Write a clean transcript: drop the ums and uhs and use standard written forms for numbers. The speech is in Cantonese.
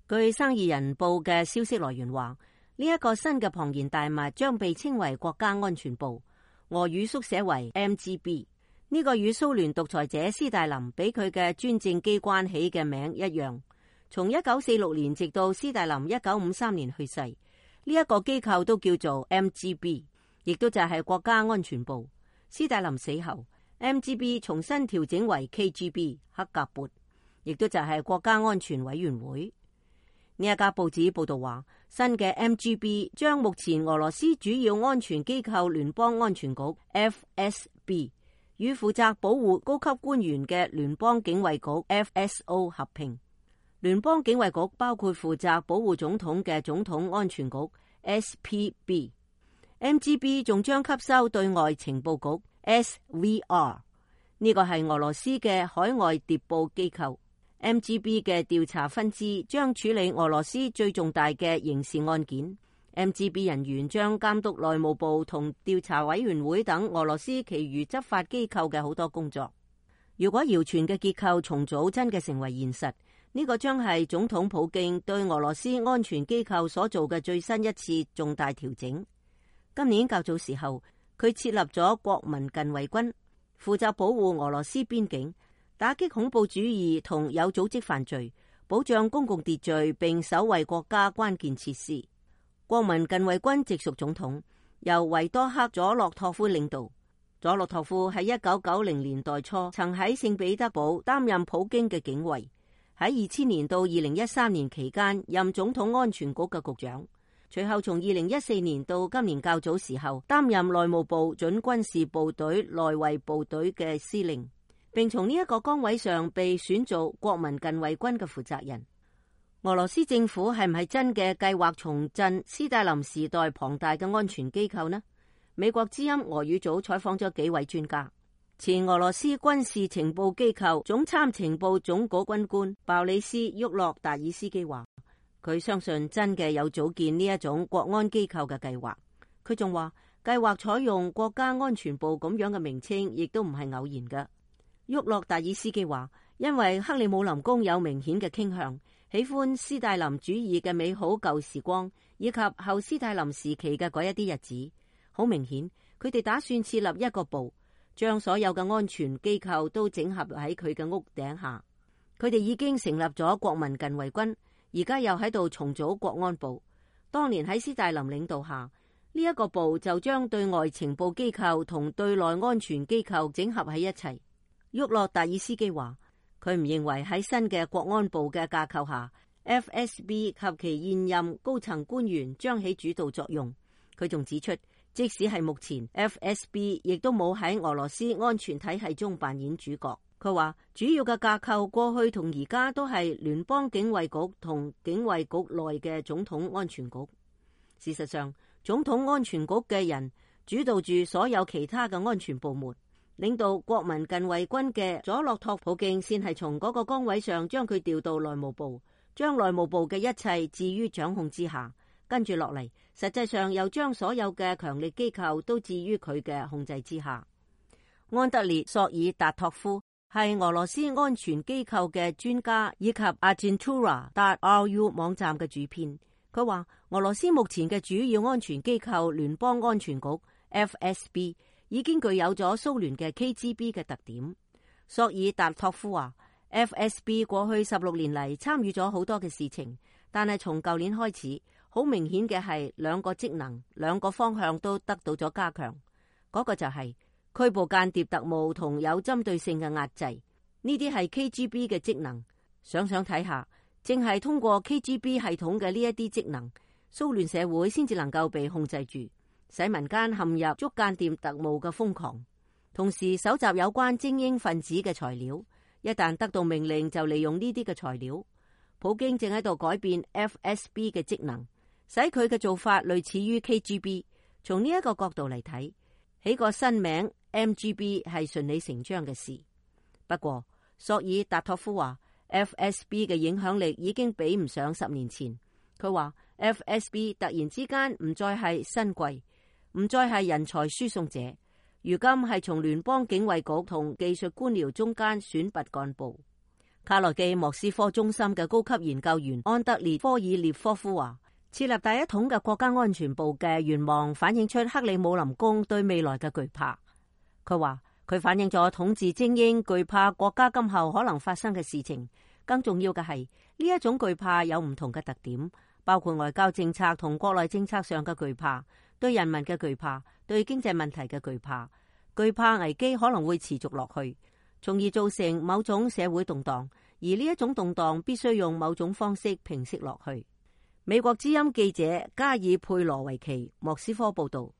據生意人報嘅消息來源話，呢一個新嘅龐然大物將被稱為國家安全部，俄語縮寫為 MGB。呢個與蘇聯獨裁者斯大林俾佢嘅專政機關起嘅名一樣。從1946年直到斯大林1953年去世，呢一個機構都叫做 MGB， 亦都就係國家安全部。斯大林死後， MGB 重新調整為 KGB 克格勃，亦都就係國家安全委員會。呢一家報紙報道話，新嘅 MGB 將目前俄羅斯主要安全機構聯邦安全局 FSB 與負責保護高級官員嘅聯邦警衛局 FSO 合併。聯邦警衛局包括負責保護總統嘅總統安全局 SPB。MGB 仲將吸收對外情報局 SVR， 呢個係俄羅斯嘅海外諜報機構。MGB 嘅調查分支將處理俄羅斯最重大嘅刑事案件。MGB 人員將監督內務部同調查委員會等俄羅斯其餘執法機構嘅好多工作。如果謠傳嘅結構重組真嘅成為現實，呢個將係總統普京對俄羅斯安全機構所做嘅最新一次重大調整。今年較早時候，佢設立咗國民近衛軍，負責保護俄羅斯邊境，打擊恐怖主義同有組織犯罪，保障公共秩序並守衛國家關鍵設施。國民近衛軍直屬總統由維多克·佐洛托夫領導。佐洛托夫喺1990年代初曾喺聖彼得堡擔任普京嘅警衛，喺2000年到2013年期間任總統安全局嘅局長。隨後從2014年到今年較早時候擔任內務部準軍事部隊內衛部隊嘅司令，並從呢一個崗位上被選做國民近衛軍嘅負責人。俄羅斯政府係唔係真嘅計劃重振斯大林時代龐大嘅安全機構呢？美國之音俄語組採訪咗幾位專家。前俄羅斯軍事情報機構總參情報總局軍官鮑里斯·沃洛達爾斯基話，佢相信真嘅有組建呢一種國安機構嘅計劃。佢仲話，計劃採用國家安全部咁樣嘅名稱，亦都唔係偶然嘅。沃洛達爾斯基話，因為克里姆林宮有明顯嘅傾向，喜歡斯大林主義嘅美好舊時光，以及後斯大林時期嘅嗰一啲日子。好明顯，佢哋打算設立一個部，將所有嘅安全機構都整合喺佢嘅屋頂下。佢哋已經成立咗國民近衛軍，而家又喺度重組國安部。當年喺斯大林領導下，呢一個部就將對外情報機構同對內安全機構整合喺一齊。沃洛達爾斯基話，佢唔認為喺新嘅國安部嘅架構下， FSB 及其現任高層官員將起主導作用。佢仲指出，即使係目前 FSB 亦都冇喺俄羅斯安全體系中扮演主角。佢話主要嘅架構過去同而家都係聯邦警衛局同警衛局內嘅總統安全局。事實上，總統安全局嘅人主導住所有其他嘅安全部門。領導國民近衛軍嘅佐洛托普京先係從嗰個崗位上將佢調到內務部，將內務部嘅一切置於掌控之下。跟住落嚟，實際上又將所有嘅強力機構都置於佢嘅控制之下。安德烈·索爾達托夫係俄羅斯安全機構嘅專家，以及 Agentura.ru 網站嘅主編。佢話俄羅斯目前嘅主要安全機構聯邦安全局 FSB 已經具有咗蘇聯嘅 KGB 嘅特點。索爾達托夫話 FSB 過去16年嚟參與咗好多嘅事情，但係從舊年開始，好明顯嘅係兩個職能、兩個方向都得到咗加強。嗰個就係拘捕間諜特務同有針對性嘅壓制，呢啲係 KGB 嘅職能。想想睇下，正係通過 KGB 系統嘅呢一啲職能，蘇聯社會先至能夠被控制住，使民間陷入捉間諜特務嘅瘋狂，同時搜集有關精英分子嘅材料，一旦得到命令就利用呢啲嘅材料。普京正喺度改變 FSB 嘅職能，使佢嘅做法類似於 KGB。從呢一個角度嚟睇，起個新名 MGB 係順理成章嘅事。不過索爾達托夫話 FSB 嘅影響力已經比唔上10年前。佢話 FSB 突然之間唔再係新貴，唔再係人才輸送者，如今係從聯邦警衛局同技術官僚中間選拔幹部。卡內基莫斯科中心嘅高級研究員安德烈科爾列科夫話，設立第一統嘅國家安全部嘅願望反映出克里姆林宮對未來嘅懼怕。佢話佢反映咗統治精英懼怕國家今後可能發生嘅事情。更重要嘅係呢一種懼怕有唔同嘅特點，包括外交政策同國內政策上嘅懼怕，對人民嘅懼怕，對經濟問題嘅懼怕。懼怕危機可能會持續落去，從而造成某種社會動盪，而呢一種動盪必須用某種方式平息落去。美國之音記者加爾佩羅維奇莫斯科報道。